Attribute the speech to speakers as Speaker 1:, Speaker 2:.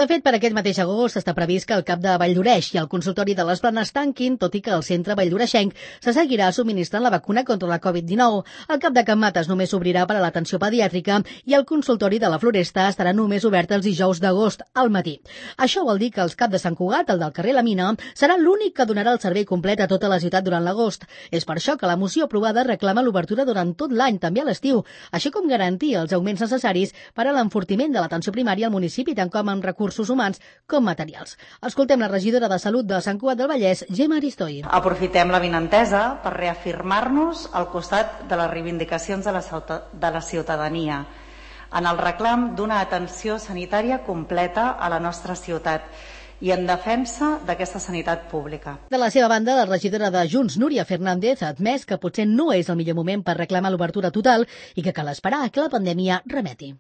Speaker 1: De fet, per aquest mateix agost està previst que el CAP de Valldoreix i el consultori de les Planes tanquin, tot i que el centre valldoreixenc se seguirà subministrant la vacuna contra la Covid-19. El CAP de Can Mates només s'obrirà per a l'atenció pediàtrica i el consultori de la Floresta estarà només obert els dijous d'agost al matí. Això vol dir que el CAP de Sant Cugat, el del carrer La Mina, serà l'únic que donarà el servei complet a tota la ciutat durant l'agost. És per això que la moció aprovada reclama l'obertura durant tot l'any, també a l'estiu, així com garantir els augments necessaris per a l'enfortiment de l'atenció primària al municipi, tant com amb recursos humans com materials. Escoltem la regidora de Salut de Sant Cugat del Vallès, Gemma Aristoi.
Speaker 2: Aprofitem la vinentesa per reafirmar-nos al costat de les reivindicacions de la ciutadania en el reclam d'una atenció sanitària completa a la nostra ciutat i en defensa d'aquesta sanitat pública.
Speaker 1: De la seva banda, la regidora de Junts, Núria Fernández, ha admès que potser no és el millor moment per reclamar l'obertura total i que cal esperar que la pandèmia remeti.